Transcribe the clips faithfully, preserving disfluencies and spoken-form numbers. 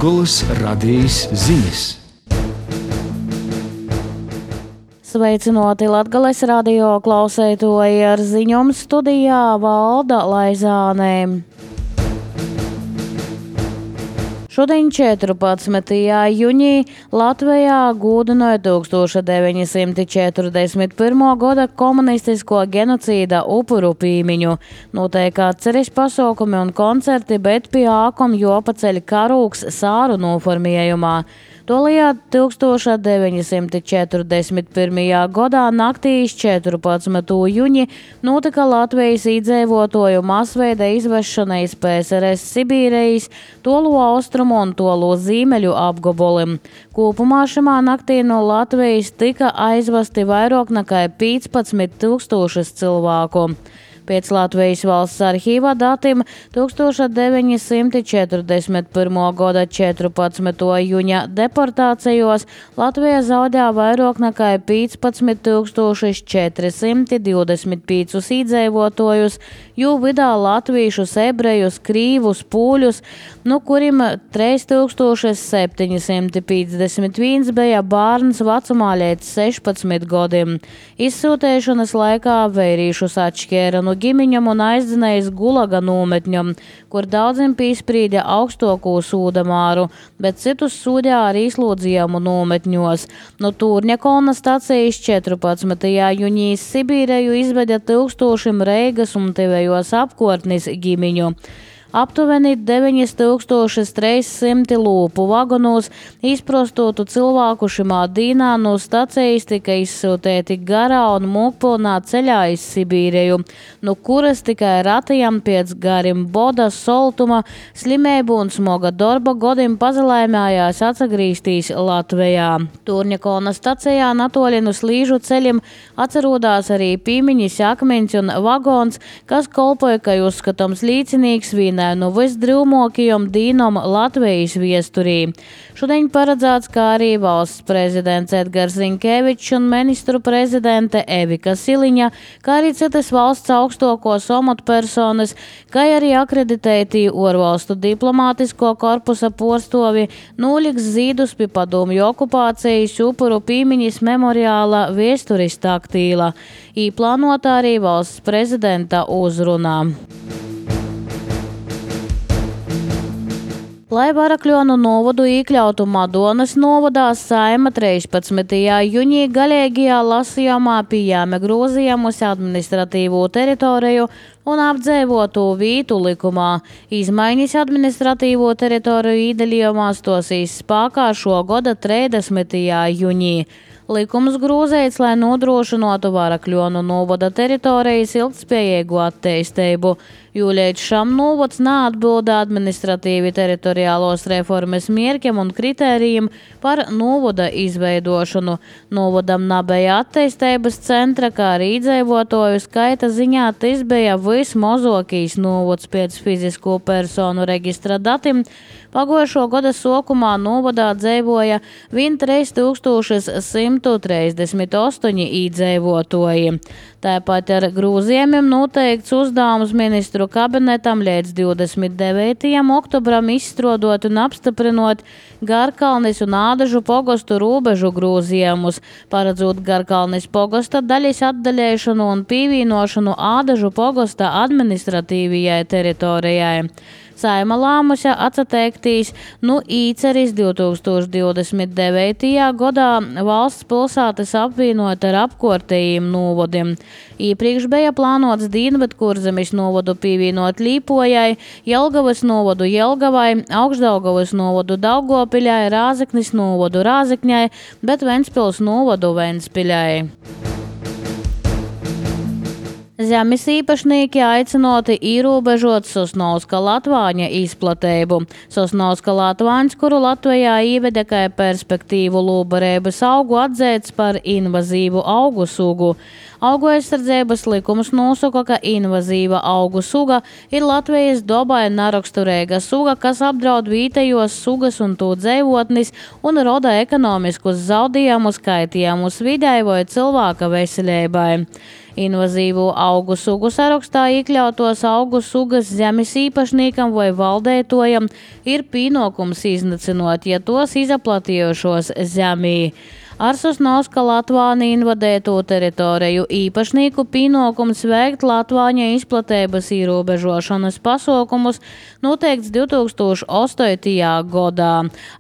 Latgolas radījis ziņas. Sveicinoti Latgales radio klausētoji, ar ziņom studijā Valda Laizānē. Šodien četrpadsmitajā jūnijā Latvijā gūdinoja tūkstoš deviņi simti četrdesmit pirmo gada komunistisko genocīda upuru pīmiņu. Notiek atceres pasaukumi un koncerti, bet pie ākom jopaceļ karūks sāru noformējumā. Tolījāt tūkstoš deviņi simti četrdesmit pirmajā gadā naktī iz četrpadsmito jūņa notika Latvijas iedzīvotāju masveida izvešana iz P S R S Sibīrijas, tolu austrumu un tolu ziemeļu apgabaliem. Kopumā šajā naktī no Latvijas tika aizvesti vairāk nekā piecpadsmit tūkstošus cilvēku. Pēc Latvijas valsts arhīva datiem tūkstoš deviņi simti četrdesmit pirmo gada četrpadsmito jūņa deportācijos Latvija zaudēja vairāk nekā piecpadsmit tūkstoši četri simti divdesmit piecus iedzīvotājus, jo vidā latviešus, ebrejus, krīvus, pūļus, no kuriem trīs tūkstoši septiņi simti piecdesmit viens bija bērns vecumā līdz sešpadsmit gadiem. Izsūtēšanas laikā vērīšus atšķēra no ģimeņam un aizdzinējis Gulaga nometņam, kur daudziem piesprīdja augstāko sūdamāru, bet citus sūdja arī izslodzījumu nometņos. No Tūrņakalna stacijas četrpadsmitajā jūņā Sibīreju izveda tūkstošiem Reigas un tevējos apkārtnes ģimeņu. Aptuveni deviņi tūkstoši trīs simti lūpu vagonos izprostotu cilvēku šimā dīnā no stacijas tika izsūtēti garā un mūkpilnā ceļā iz Sibīreju, no kuras tikai ratajam pēc garim boda, soltuma, slimību un smoga darba godiem pazalaimējās atsagrīstīs Latvijā. Tūrņakalna stacijā natoļi no slīžu ceļiem atcerodās arī pīmiņas akmeņš un vagons, kas kolpoja, ka uzskatāms līdzinīgs vienai no visdrūmākajām dīnām Latvijas viesturī. Šodien paredzēts, kā arī valsts prezidents Edgars Rinkevičs un ministru prezidente Evika Siliņa, kā arī citas valsts augstākos amatpersonas, kā arī akreditētī ārvalstu diplomātisko korpusa porstovi noliks zīdus pie padomju okupācijas upuru pīmiņas memoriāla viesturis taktīla. Īplānota arī valsts prezidenta uzrunā. Lai Varakļonu novadu iekļautu Madonas novadā, Saeima trīspadsmitajā jūņā galīgajā lasījumā pieņēma grozījumus administratīvo teritoriju un apdzīvotu vietu likumā. Izmaiņas administratīvo teritoriju iedalījumā stosīs spēkā šo gada trīsdesmitajā jūņā. Likums grozēts, lai nodrošinātu Varakļonu novada teritorijas ilgtspējīgu attīstību, jo līdz šam novads neatbilda administratīvi teritoriālos reformas mērķiem un kritērijiem par novada izveidošanu. Novadam nebija attīstības centra, kā arī iedzīvotāju skaita ziņā tas bija vismazākais novads pēc fizisko personu reģistra datiem. Pagojušo gada sākumā novadā dzīvoja trīs tūkstoši simt trīsdesmit astoņi iedzīvotāji. Tāpat ar grozījumiem noteikts uzdevums ministru kabinetam līdz divdesmit devītajam oktobram izstrādāt un apstiprinot Garkalnes un Ādažu pogostu robežu grozījumus, paredzot Garkalnes pogosta daļas atdaļēšanu un pievienošanu Ādažu pogosta administratīvajai teritorijai. Saeima lēmusi atsateiktīs no īceres divtūkstoš divdesmit devītajā gadā valsts pilsētas apvienot ar apkārtējiem novadiem. Iepriekš bija plānots Dienvidkurzemes novadu pievienot Līpojai, Jelgavas novadu Jelgavai, Augšdaugavas novadu Daugopiļai, Rāzeknes novadu Rāzekņai, bet Ventspils novadu Ventspiļai. Zemes īpašnieki aicinoti ierobežot Sosnovska latvāņa izplatību. Sosnovska latvāņs, kuru Latvijā ieveda kā perspektīvu lūbarības augu, atzīts par invazīvu augu sugu. Augu aizsardzības likums nosaka, ka invazīva augu suga ir Latvijas dabai neraksturīga suga, kas apdraud vietējos sugas un to dzīvotnis un roda ekonomiskus zaudējumus, kaitījumus videi vai cilvēka veselībai. Invazīvu augu sugu sarakstā iekļautos augu sugas zemes īpašniekam vai valdētojam ir pienākums iznacinot, ja tos izaplatījušos zemī. Ar Sosnovska Latvāni invadēto teritoriju īpašnieku pienākums veikt Latvāņa izplatības ierobežošanas pasaukumus noteikts divtūkstoš astotajā gadā.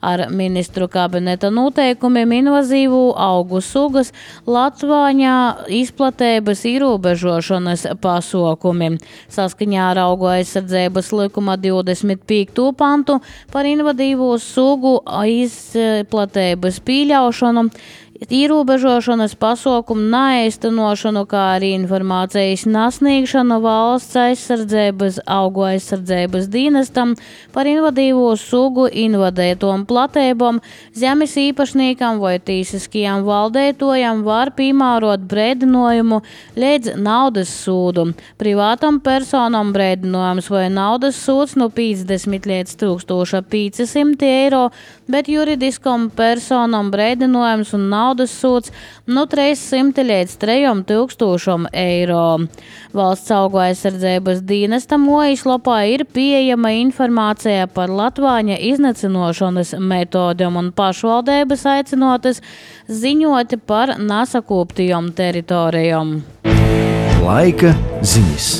Ar ministru kabineta noteikumiem invazīvu augu sugas Latvāņa izplatības ierobežošanas pasaukumi. Saskaņā ar augu aizsardzības likuma divdesmit piekto pantu par invadīvo sugu izplatības pieļaušanu, ierobežošanas pasaukumu neīstenošanu, kā arī informācijas nesniegšanu valsts aizsardzības augu aizsardzības dienestam par invadīvo sugu invadētom platībām, zemes īpašniekam vai tīsiskajam valdētojam var piemērot brēdinājumu līdz naudas sūdu. Privātam personam brēdinājums vai naudas sūds no piecdesmit līdz tūkstoš pieci simti eiro, bet juridiskam personam brēdinājums un naudas naudas sūds no trīssimti līdz trejiem tūkstošiem eiro. Valsts augu aizsardzības dienesta mājaslapā ir pieejama informācija par Latvāņa iznīcinošanas metodēm un pašvaldības aicinotas ziņot par nesakoptajām teritorijām. Laika ziņas.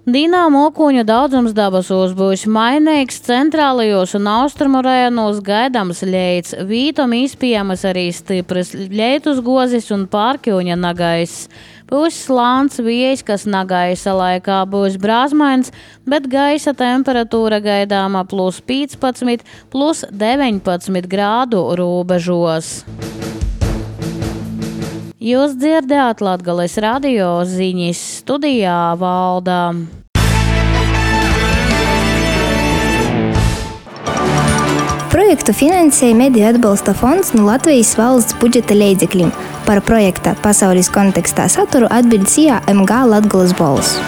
Dīnā mokuņu daudzums dabasos būs mainīgs, centrālajos un austrumu rajonos gaidāms leits, vītom izpiejamas arī stipras leitus gozis un pārkļuņa nagaiss. Būs slāns vējs, kas nagaisa laikā būs brāzmains, bet gaisa temperatūra gaidāma plus piecpadsmit, plus deviņpadsmit grādu robežos. Jūs dzirdējāt Latgales radio ziņas, studijā Valdā. Projektu finansēja Mediju atbalsta fonds no Latvijas valsts budžeta līdzekļiem. Par projekta pasaules kontekstā saturu atbild S I A M G Latgales balss.